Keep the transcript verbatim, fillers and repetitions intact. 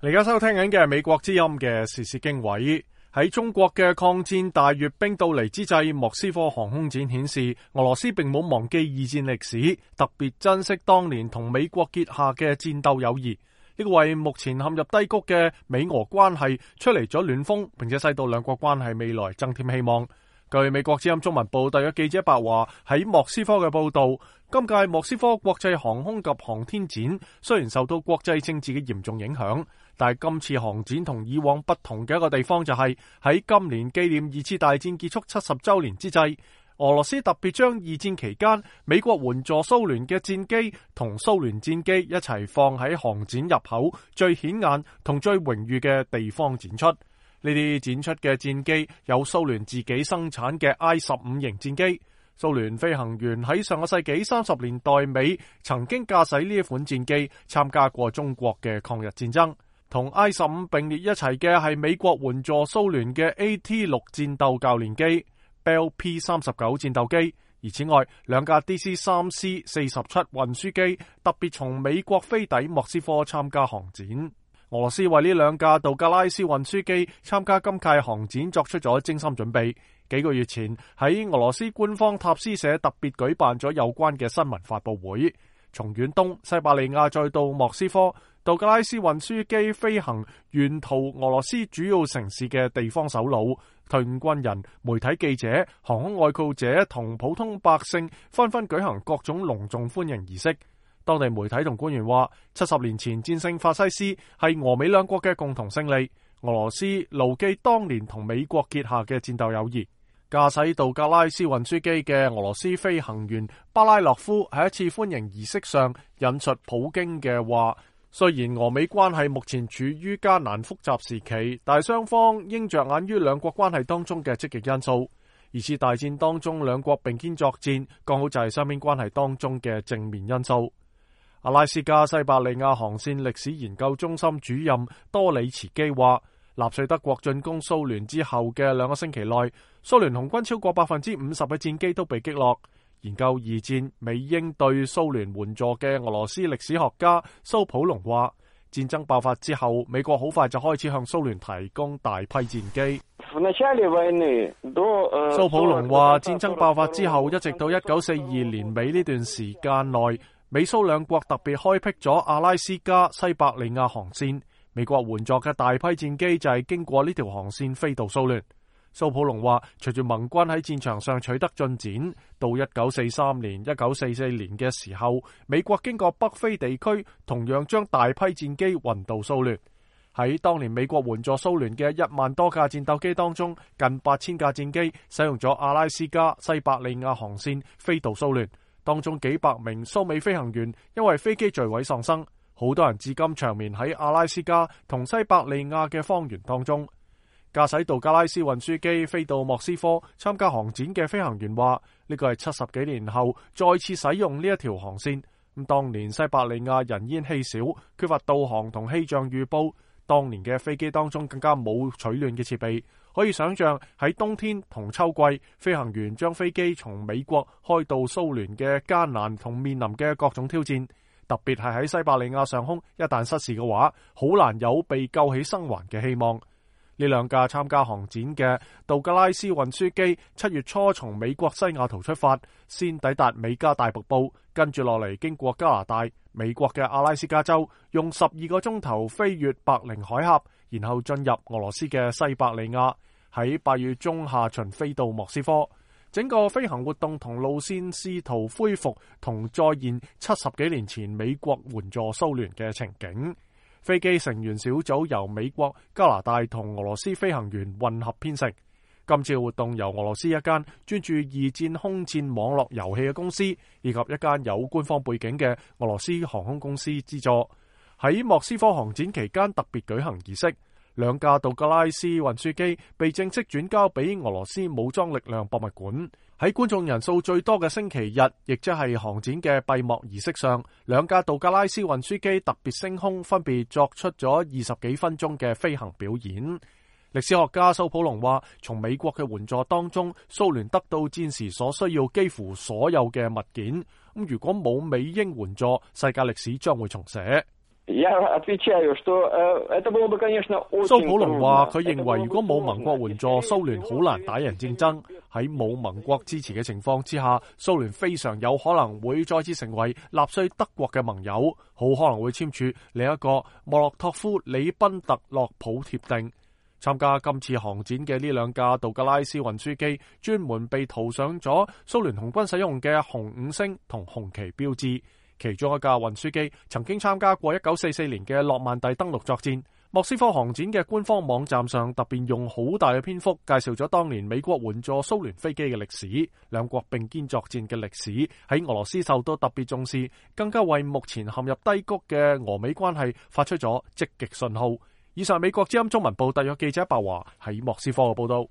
你而家收聽緊嘅係美國之音嘅時事經緯。喺中國嘅抗戰大閱兵到嚟之際，莫斯科航空展顯示俄羅斯並冇忘記二戰歷史，特別珍惜當年同美國結下嘅戰鬥友誼。呢個為目前陷入低谷嘅美俄關係吹嚟咗暖風，並且使到兩國關係未來增添希望。據美國之音中文部特約記者白華喺莫斯科嘅報道，今屆莫斯科國際航空及航天展雖然受到國際政治嘅嚴重影響，但係今次航展同以往不同嘅一個地方就係喺今年紀念二次大戰結束七十週年之際，俄羅斯特別將二戰期間美國援助蘇聯嘅戰機同蘇聯戰機一齊放喺航展入口最顯眼同最榮譽嘅地方展出。呢啲展出嘅戰機有蘇聯自己生產嘅 I 十五型戰機，蘇聯飛行員喺上個世紀三十年代尾曾經駕駛呢一款戰機參加過中國嘅抗日戰爭。同 I 十五並列一齊嘅係美國援助蘇聯嘅 A T 六戰鬥教練機、Bell P 三十九戰鬥機，而此外兩架 D C 三 C 四十七運輸機特別從美國飛抵莫斯科參加航展。俄羅斯為呢兩架杜格拉斯運輸機參加今屆航展作出咗精心準備。幾個月前喺俄羅斯官方塔斯社特別舉辦咗有關嘅新聞發佈會。從遠東西伯利亞再到莫斯科，杜格拉斯運輸機飛行沿途俄羅斯主要城市嘅地方首腦、退伍軍人、媒體記者、航空愛好者同普通百姓紛紛舉行各種隆重歡迎儀式。當地媒體同官員話，七十年前戰勝法西斯係俄美兩國嘅共同勝利。俄羅斯牢記當年同美國結下嘅戰鬥友誼。駕駛杜格拉斯運輸機嘅俄羅斯飛行員巴拉洛夫喺一次歡迎儀式上引述普京嘅話，雖然俄美關係目前處於艱難複雜時期，但係雙方應着眼於兩國關係當中嘅積極因素。二次大戰當中兩國並肩作戰，剛好就係雙邊關係當中嘅正面因素。阿拉斯加西伯利亞航線歷史研究中心主任多里茨基話，納粹德國進攻蘇聯之後嘅兩個星期內，蘇聯紅軍超過百分之五十嘅戰機都被擊落。研究二戰美英對蘇聯援助嘅俄羅斯歷史學家蘇普隆話，戰爭爆發之後，美國好快就開始向蘇聯提供大批戰機。蘇普隆話，戰爭爆發之後，一直到一九四二年尾呢段時間內，美蘇兩國特別開闢咗阿拉斯加西伯利亞航線，美國援助嘅大批戰機就係經過呢條航線飛到蘇聯。蘇普隆話，隨住盟軍喺戰場上取得進展，到一九四三年、一九四四年嘅時候，美國經過北非地區，同樣將大批戰機運到蘇聯。喺當年美國援助蘇聯嘅一萬多架戰鬥機當中，近八千架戰機使用咗阿拉斯加西伯利亞航線飛到蘇聯。當中幾百名蘇美飛行員因為飛機墜毀喪生，好多人至今長眠喺阿拉斯加同西伯利亞嘅荒原當中。駕駛杜格拉斯運輸機飛到莫斯科參加航展嘅飛行員話，呢個係七十幾年後再次使用呢一條航線。咁當年西伯利亞人煙稀少，缺乏導航同氣象預報，當年嘅飛機當中更加冇取暖嘅設備。可以想象喺冬天同秋季，飛行員將飛機從美國開到蘇聯嘅艱難同面臨嘅各種挑戰，特別係喺西伯利亞上空，一旦失事嘅話，好難有被救起生還嘅希望。呢兩架參加航展嘅杜格拉斯運輸機，七月初從美國西雅圖出發，先抵達美加大瀑布，跟住落嚟經過加拿大、美國嘅阿拉斯加州，用十二個鐘頭飛越白令海峽，然後進入俄羅斯嘅西伯利亞，喺八月中下旬飛到莫斯科。整個飛行活動同路線試圖恢復同再現七十幾年前美國援助蘇聯嘅情景。飛機成員小組由美國、加拿大同俄羅斯飛行員混合編成。今次活動由俄羅斯一間專注二戰空戰網絡遊戲嘅公司，以及一間有官方背景嘅俄羅斯航空公司資助。喺莫斯科航展期間特別舉行儀式，兩架杜格拉斯運輸機被正式轉交俾俄羅斯武裝力量博物館。喺觀眾人數最多嘅星期日，亦即係航展嘅閉幕儀式上，兩架杜格拉斯運輸機特別升空，分別作出咗二十幾分鐘嘅飛行表演。歷史學家蘇普隆話，從美國嘅援助當中，蘇聯得到戰時所需要幾乎所有嘅物件。咁如果冇美英援助，世界歷史將會重寫。蘇普隆話：佢認為如果冇盟國援助，蘇聯好難打贏戰爭。喺冇盟國支持嘅情況之下，蘇聯非常有可能會再次成為納粹德國嘅盟友，好可能會簽署另一個莫洛托夫里賓特洛普協定。參加今次航展嘅呢兩架杜格拉斯運輸機，專門被塗上咗蘇聯紅軍使用嘅紅五星同紅旗標誌。其中一架運輸機曾經參加過一九四四年嘅諾曼第登陸作戰。莫斯科航展嘅官方網站上特別用好大嘅篇幅介紹咗當年美國援助蘇聯飛機嘅歷史，兩國並肩作戰嘅歷史喺俄羅斯受到特別重視，更加為目前陷入低谷嘅俄美關係發出咗積極信號。以上美國之音中文部特約記者白華喺莫斯科嘅報道。